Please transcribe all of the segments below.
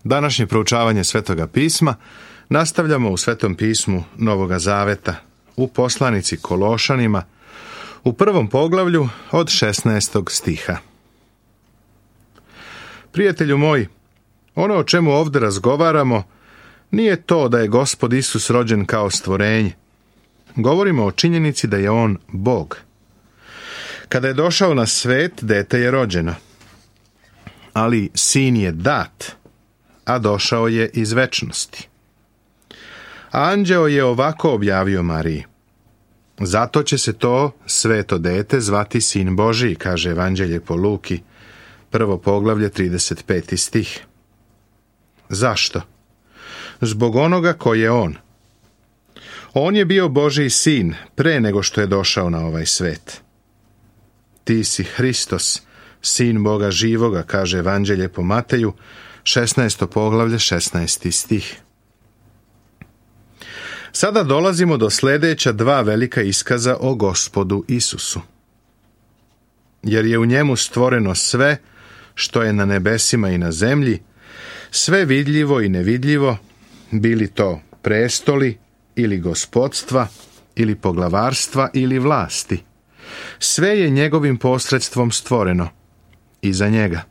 Današnje proučavanje Svetoga pisma nastavljamo u Svetom pismu Novoga Zaveta, u poslanici Kološanima, u 1. poglavlju od 16. stiha. Prijatelju moj, ono o čemu ovdje razgovaramo nije to da je Gospod Isus rođen kao stvorenje. Govorimo o činjenici da je On Bog. Kada je došao na svet, dete je rođeno. Ali sin je dat, a došao je iz večnosti. Anđeo je ovako objavio Mariji: zato će se to sveto dete zvati Sin Božiji, kaže Evanđelje po Luki, 1. poglavlje, 35. stih. Zašto? Zbog onoga ko je On. On je bio Božji sin pre nego što je došao na ovaj svet. Ti si Hristos, sin Boga živoga, kaže Evanđelje po Mateju, 16. poglavlje, 16. stih. Sada dolazimo do sljedeća dva velika iskaza o Gospodu Isusu. Jer je u njemu stvoreno sve što je na nebesima i na zemlji, sve vidljivo i nevidljivo, bili to prestoli ili gospodstva ili poglavarstva ili vlasti. Sve je njegovim posredstvom stvoreno i za njega.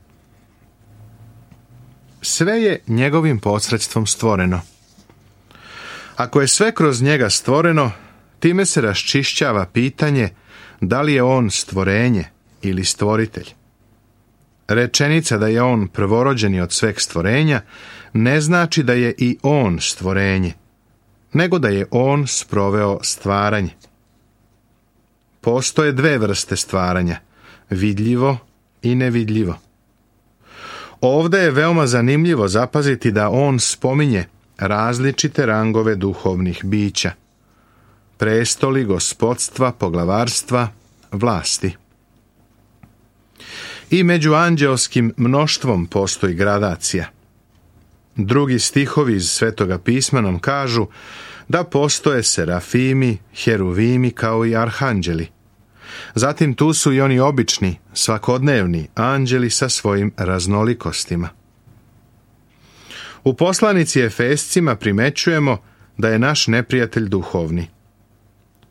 Sve je njegovim posredstvom stvoreno. Ako je sve kroz njega stvoreno, time se raščišćava pitanje da li je on stvorenje ili stvoritelj. Rečenica da je on prvorođeni od sveg stvorenja ne znači da je i on stvorenje, nego da je on sproveo stvaranje. Postoje dve vrste stvaranja, vidljivo i nevidljivo. Ovdje je veoma zanimljivo zapaziti da on spominje različite rangove duhovnih bića: prestoli, gospodstva, poglavarstva, vlasti. I među anđeoskim mnoštvom postoji gradacija. Drugi stihovi iz Svetoga pisma nam kažu da postoje serafimi, heruvimi kao i arhanđeli. Zatim tu su i oni obični, svakodnevni anđeli sa svojim raznolikostima. U poslanici Efescima primećujemo da je naš neprijatelj duhovni.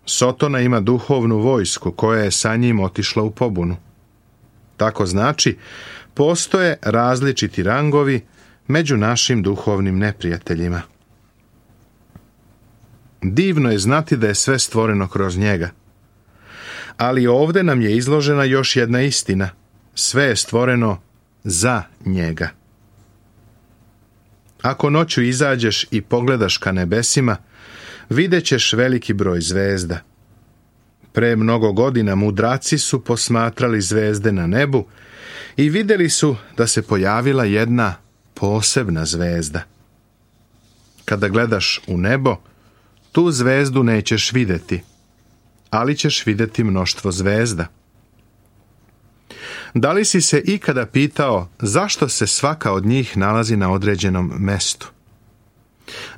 Sotona ima duhovnu vojsku koja je sa njim otišla u pobunu. Tako znači, postoje različiti rangovi među našim duhovnim neprijateljima. Divno je znati da je sve stvoreno kroz njega. Ali ovdje nam je izložena još jedna istina. Sve je stvoreno za njega. Ako noću izađeš i pogledaš ka nebesima, vidjet ćeš veliki broj zvezda. Pre mnogo godina mudraci su posmatrali zvezde na nebu i vidjeli su da se pojavila jedna posebna zvezda. Kada gledaš u nebo, tu zvezdu nećeš vidjeti, ali ćeš vidjeti mnoštvo zvezda. Da li si se ikada pitao zašto se svaka od njih nalazi na određenom mestu?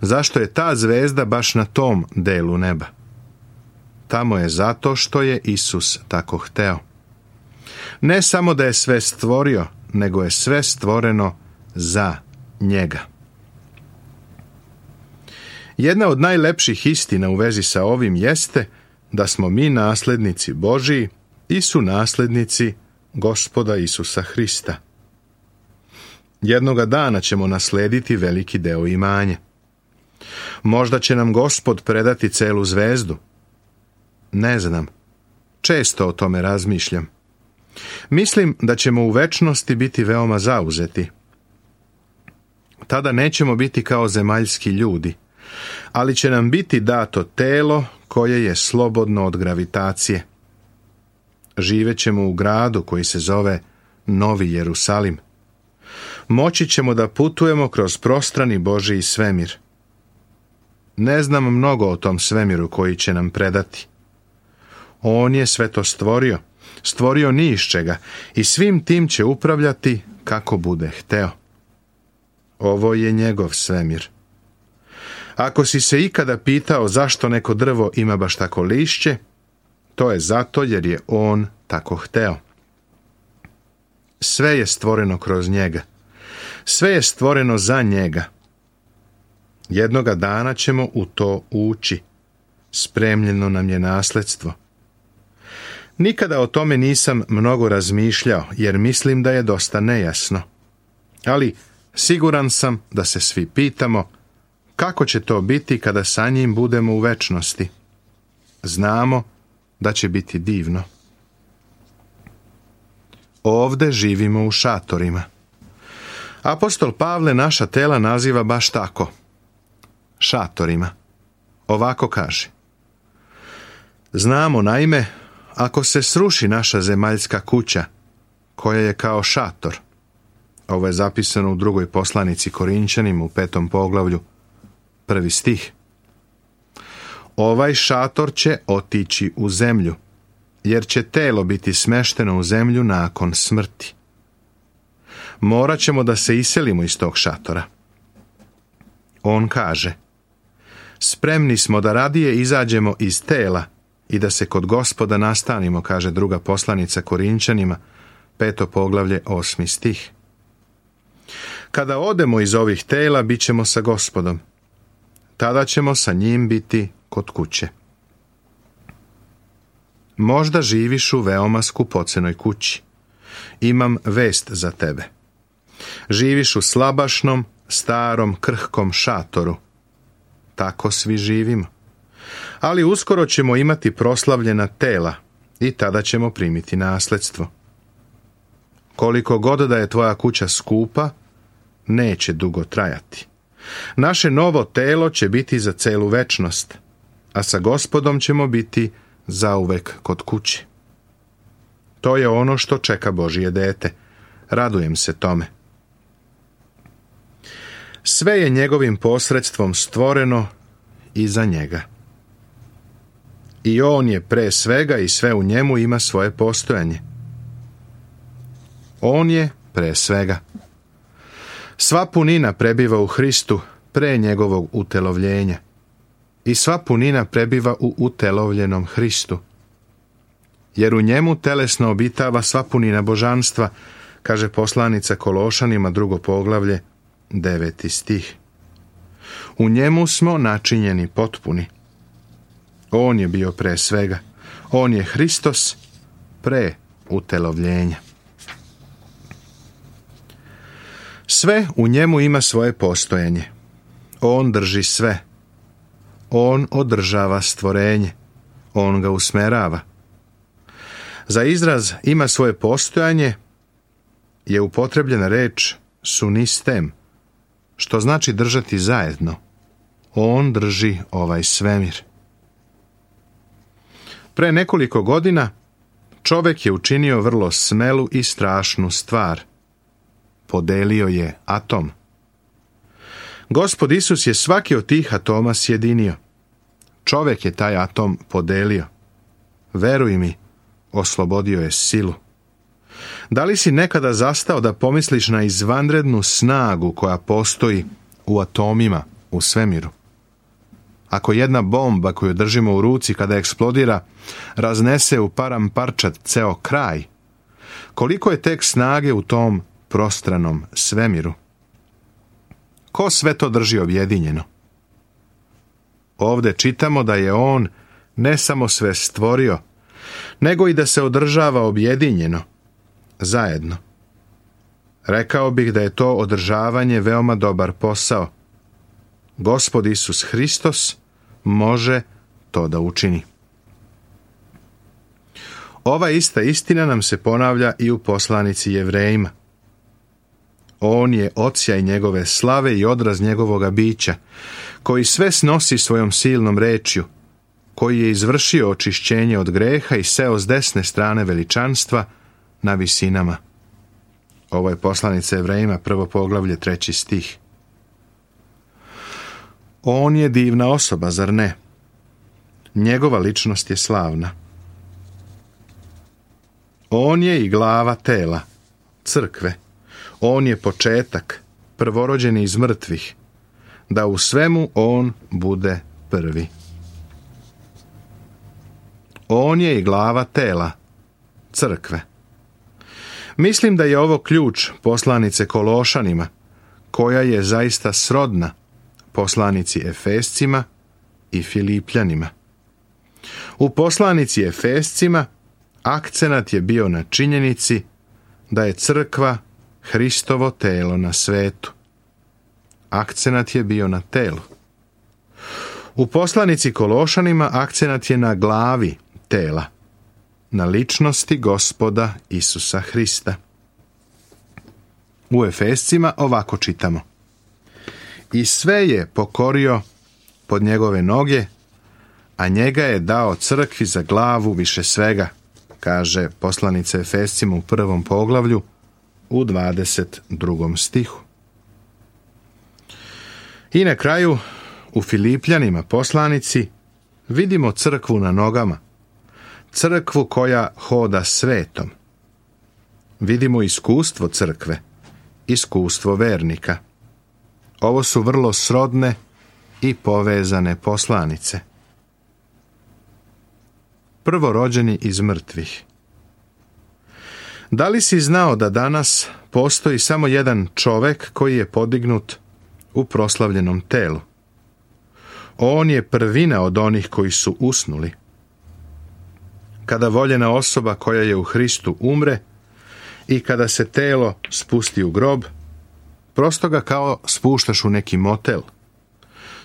Zašto je ta zvezda baš na tom delu neba? Tamo je zato što je Isus tako hteo. Ne samo da je sve stvorio, nego je sve stvoreno za njega. Jedna od najlepših istina u vezi sa ovim jeste da smo mi naslednici Božiji i su naslednici Gospoda Isusa Hrista. Jednoga dana ćemo naslediti veliki deo imanja. Možda će nam Gospod predati celu zvezdu. Ne znam. Često o tome razmišljam. Mislim da ćemo u večnosti biti veoma zauzeti. Tada nećemo biti kao zemaljski ljudi, ali će nam biti dato telo koje je slobodno od gravitacije. Živet ćemo u gradu koji se zove Novi Jerusalim. Moći ćemo da putujemo kroz prostrani Božji svemir. Ne znam mnogo o tom svemiru koji će nam predati. On je sve to stvorio ni iz čega i svim tim će upravljati kako bude hteo. Ovo je njegov svemir. Ako si se ikada pitao zašto neko drvo ima baš tako lišće, to je zato jer je on tako hteo. Sve je stvoreno kroz njega. Sve je stvoreno za njega. Jednoga dana ćemo u to ući. Spremljeno nam je nasledstvo. Nikada o tome nisam mnogo razmišljao, jer mislim da je dosta nejasno. Ali siguran sam da se svi pitamo kako će to biti kada sa njim budemo u večnosti. Znamo da će biti divno. Ovde živimo u šatorima. Apostol Pavle naša tela naziva baš tako. Šatorima. Ovako kaže. Znamo naime, ako se sruši naša zemaljska kuća, koja je kao šator, ovo je zapisano u drugoj poslanici Korinćanima u 5. poglavlju, 1. stih. Ovaj šator će otići u zemlju, jer će telo biti smešteno u zemlju nakon smrti. Morat ćemo da se iselimo iz tog šatora. On kaže, spremni smo da radije izađemo iz tela i da se kod Gospoda nastanimo, kaže druga poslanica Korinćanima, 5. poglavlje, 8. stih. Kada odemo iz ovih tela, bit ćemo sa Gospodom. Tada ćemo sa njim biti kod kuće. Možda živiš u veoma skupocenoj kući. Imam vest za tebe. Živiš u slabašnom, starom, krhkom šatoru. Tako svi živimo. Ali uskoro ćemo imati proslavljena tela i tada ćemo primiti nasledstvo. Koliko god da je tvoja kuća skupa, neće dugo trajati. Naše novo telo će biti za celu večnost, a sa Gospodom ćemo biti zauvek kod kuće. To je ono što čeka Božije dete. Radujem se tome. Sve je njegovim posredstvom stvoreno i za njega. I on je pre svega i sve u njemu ima svoje postojanje. On je pre svega. Sva punina prebiva u Hristu pre njegovog utelovljenja. I sva punina prebiva u utelovljenom Hristu. Jer u njemu telesno obitava sva punina božanstva, kaže poslanica Kološanima 2. poglavlje, 9. stih. U njemu smo načinjeni potpuni. On je bio pre svega. On je Hristos pre utelovljenja. Sve u njemu ima svoje postojanje. On drži sve. On održava stvorenje. On ga usmerava. Za izraz ima svoje postojanje je upotrebljena reč sunistem, što znači držati zajedno. On drži ovaj svemir. Pre nekoliko godina čovek je učinio vrlo smelu i strašnu stvar. Podelio je atom. Gospod Isus je svaki od tih atoma sjedinio. Čovek je taj atom podelio. Veruj mi, oslobodio je silu. Da li si nekada zastao da pomisliš na izvanrednu snagu koja postoji u atomima u svemiru? Ako jedna bomba koju držimo u ruci kada eksplodira raznese u param parčad ceo kraj, koliko je tek snage u tom prostranom svemiru? Ko sve to drži objedinjeno? Ovde čitamo da je on ne samo sve stvorio, nego i da se održava objedinjeno, zajedno. Rekao bih da je to održavanje veoma dobar posao. Gospod Isus Hristos može to da učini. Ova ista istina nam se ponavlja i u poslanici Jevrejima. On je odsjaj njegove slave i odraz njegovoga bića, koji sve snosi svojom silnom rečju, koji je izvršio očišćenje od greha i seo s desne strane veličanstva na visinama. Ovo je poslanica Jevrejima, 1. poglavlje, 3. stih. On je divna osoba, zar ne? Njegova ličnost je slavna. On je i glava tela, crkve. On je početak, prvorođeni iz mrtvih, da u svemu on bude prvi. On je i glava tela, crkve. Mislim da je ovo ključ poslanice Kološanima, koja je zaista srodna poslanici Efescima i Filipljanima. U poslanici Efescima akcenat je bio na činjenici da je crkva Hristovo telo na svetu. Akcenat je bio na telu. U poslanici Kološanima akcenat je na glavi tela, na ličnosti Gospoda Isusa Hrista. U Efescima ovako čitamo: i sve je pokorio pod njegove noge, a njega je dao crkvi za glavu više svega, kaže poslanica Efescima u 1. poglavlju u 22. stihu. I na kraju u Filipljanima poslanici vidimo crkvu na nogama, crkvu koja hoda svetom. Vidimo iskustvo crkve, iskustvo vernika. Ovo su vrlo srodne i povezane poslanice. Prvorođeni iz mrtvih. Da li si znao da danas postoji samo jedan čovek koji je podignut u proslavljenom telu? On je prvina od onih koji su usnuli. Kada voljena osoba koja je u Hristu umre i kada se telo spusti u grob, prosto ga kao spuštaš u neki motel.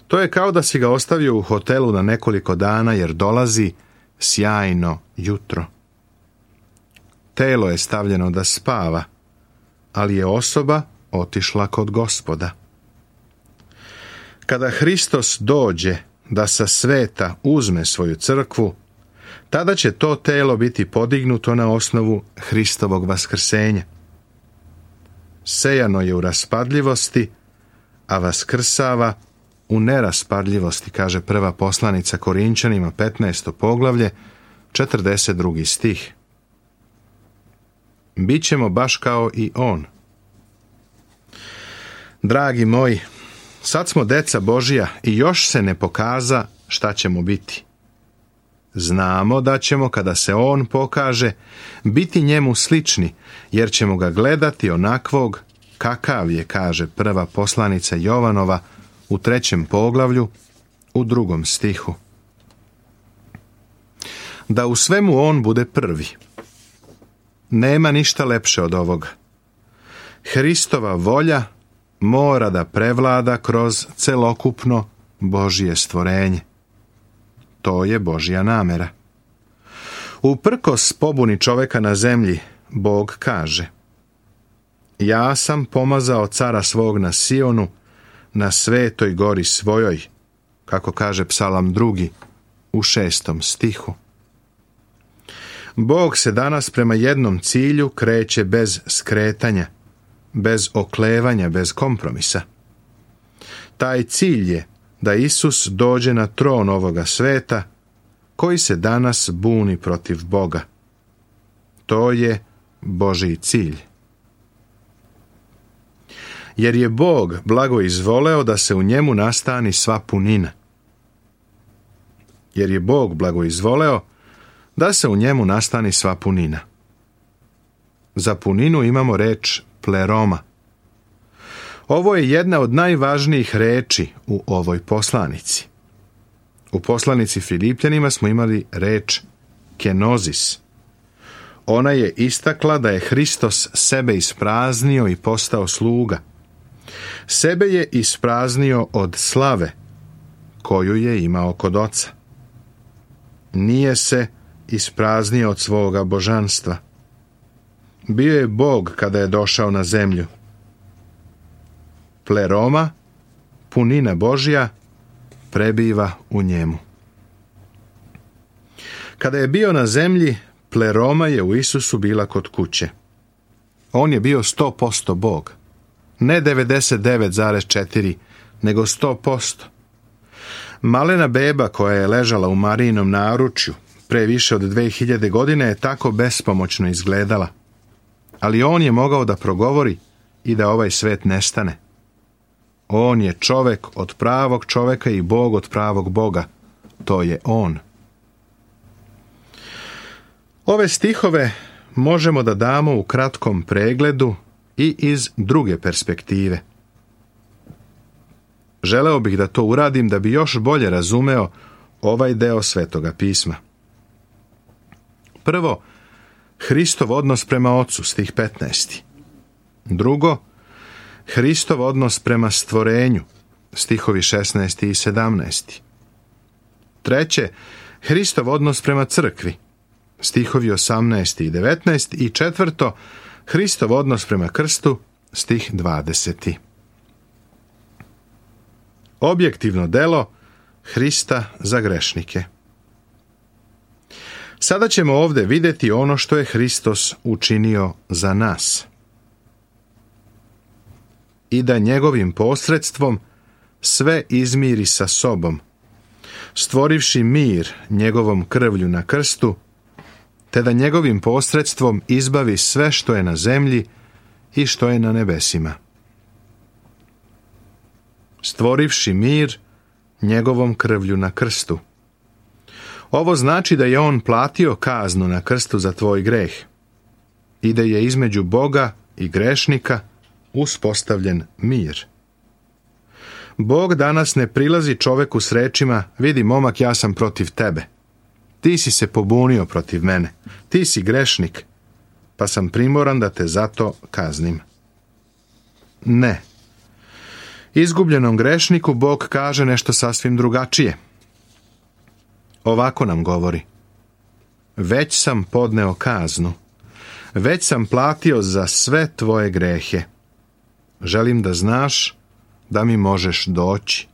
To je kao da si ga ostavio u hotelu na nekoliko dana jer dolazi sjajno jutro. Telo je stavljeno da spava, ali je osoba otišla kod Gospoda. Kada Hristos dođe da sa sveta uzme svoju crkvu, tada će to telo biti podignuto na osnovu Hristovog vaskrsenja. Sejano je u raspadljivosti, a vaskrsava u neraspadljivosti, kaže prva poslanica Korinčanima 15. poglavlje, 42. stih. Bićemo baš kao i on. Dragi moji, sad smo deca Božija i još se ne pokaza šta ćemo biti. Znamo da ćemo, kada se on pokaže, biti njemu slični, jer ćemo ga gledati onakvog kakav je, kaže prva poslanica Jovanova u 3. poglavlju u 2. stihu. Da u svemu on bude prvi. Nema ništa lepše od ovoga. Hristova volja mora da prevlada kroz celokupno Božje stvorenje. To je Božja namera. Uprkos pobuni čoveka na zemlji, Bog kaže: ja sam pomazao cara svog na Sionu, na svetoj gori svojoj, kako kaže Psalam 2. u 6. stihu. Bog se danas prema jednom cilju kreće bez skretanja, bez oklevanja, bez kompromisa. Taj cilj je da Isus dođe na tron ovoga sveta, koji se danas buni protiv Boga. To je Božji cilj. Jer je Bog blago izvoleo da se u njemu nastani sva punina. Jer je Bog blago izvoleo da se u njemu nastani sva punina. Za puninu imamo reč pleroma. Ovo je jedna od najvažnijih reči u ovoj poslanici. U poslanici Filipljanima smo imali reč kenozis. Ona je istakla da je Hristos sebe ispraznio i postao sluga. Sebe je ispraznio od slave koju je imao kod Oca. Nije se ispraznio od svoga božanstva. Bio je Bog kada je došao na zemlju. Pleroma, punina Božja, prebiva u njemu. Kada je bio na zemlji, pleroma je u Isusu bila kod kuće. On je bio 100% Bog. Ne 99,4, nego 100%. Malena beba koja je ležala u Marijinom naručju pre više od 2000 godine je tako bespomoćno izgledala. Ali on je mogao da progovori i da ovaj svet nestane. On je čovek od pravog čoveka i Bog od pravog Boga. To je on. Ove stihove možemo da damo u kratkom pregledu i iz druge perspektive. Želeo bih da to uradim da bi još bolje razumeo ovaj deo Svetoga pisma. Prvo, Hristov odnos prema Ocu, stih 15. Drugo, Hristov odnos prema stvorenju, stihovi 16. i 17. Treće, Hristov odnos prema crkvi, stihovi 18. i 19. I četvrto, Hristov odnos prema krstu, stih 20. Objektivno delo Hrista za grešnike. Sada ćemo ovdje vidjeti ono što je Hristos učinio za nas. I da njegovim posredstvom sve izmiri sa sobom, stvorivši mir njegovom krvlju na krstu, te da njegovim posredstvom izbavi sve što je na zemlji i što je na nebesima. Stvorivši mir njegovom krvlju na krstu. Ovo znači da je on platio kaznu na krstu za tvoj greh i da je između Boga i grešnika uspostavljen mir. Bog danas ne prilazi čoveku s rečima: vidi momak, ja sam protiv tebe. Ti si se pobunio protiv mene. Ti si grešnik, pa sam primoran da te zato kaznim. Ne. Izgubljenom grešniku Bog kaže nešto sasvim drugačije. Ovako nam govori: već sam podneo kaznu, već sam platio za sve tvoje grehe. Želim da znaš da mi možeš doći.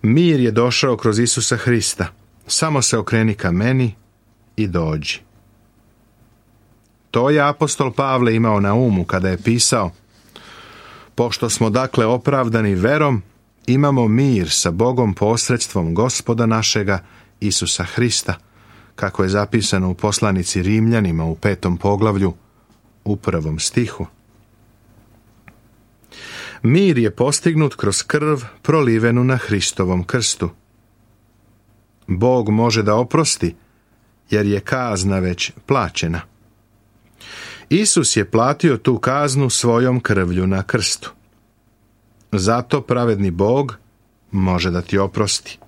Mir je došao kroz Isusa Hrista. Samo se okreni ka meni i dođi. To je apostol Pavle imao na umu kada je pisao: pošto smo dakle opravdani verom, imamo mir sa Bogom posredstvom Gospoda našega Isusa Hrista, kako je zapisano u poslanici Rimljanima u 5. poglavlju u 1. stihu. Mir je postignut kroz krv prolivenu na Hristovom krstu. Bog može da oprosti, jer je kazna već plaćena. Isus je platio tu kaznu svojom krvlju na krstu. Zato pravedni Bog može da ti oprosti.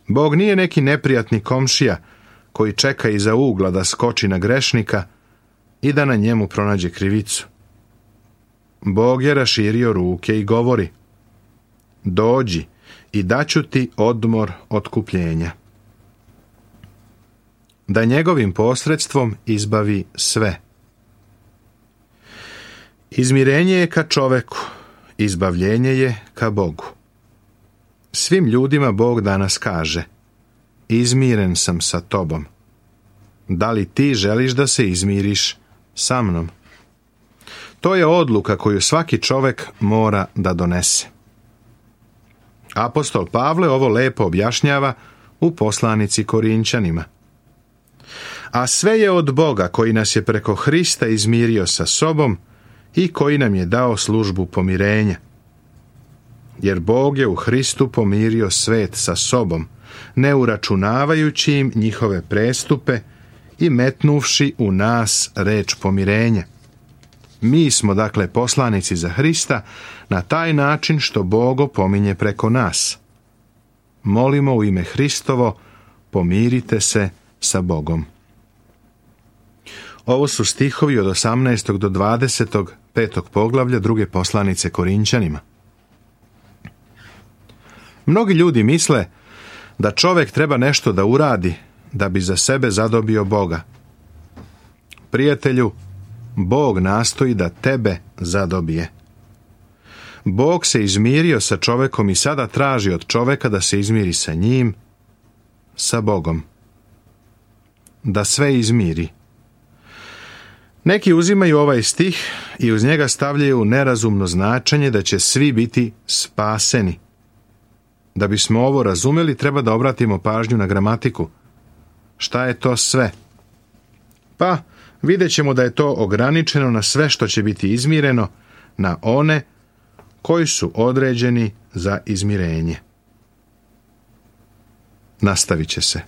Bog nije neki neprijatni komšija koji čeka iza ugla da skoči na grešnika i da na njemu pronađe krivicu. Bog je raširio ruke i govori: dođi i daću ti odmor otkupljenja. Da njegovim posredstvom izbavi sve. Izmirenje je ka čoveku, izbavljenje je ka Bogu. Svim ljudima Bog danas kaže: izmiren sam sa tobom. Da li ti želiš da se izmiriš sa mnom? To je odluka koju svaki čovek mora da donese. Apostol Pavle ovo lepo objašnjava u poslanici Korinčanima. A sve je od Boga koji nas je preko Hrista izmirio sa sobom i koji nam je dao službu pomirenja. Jer Bog je u Hristu pomirio svet sa sobom, ne uračunavajući im njihove prestupe i metnuvši u nas reč pomirenja. Mi smo dakle poslanici za Hrista na taj način što Bog opominje preko nas. Molimo u ime Hristovo, pomirite se sa Bogom. Ovo su stihovi od 18. do 20. 5. poglavlja druge poslanice Korinčanima. Mnogi ljudi misle da čovjek treba nešto da uradi da bi za sebe zadobio Boga. Prijatelju, Bog nastoji da tebe zadobije. Bog se izmirio sa čovjekom i sada traži od čovjeka da se izmiri sa njim, sa Bogom. Da sve izmiri. Neki uzimaju ovaj stih i uz njega stavljaju nerazumno značenje da će svi biti spaseni. Da bismo ovo razumjeli, treba da obratimo pažnju na gramatiku. Šta je to sve? Pa, vidjet ćemo da je to ograničeno na sve što će biti izmireno, na one koji su određeni za izmirenje. Nastavit će se.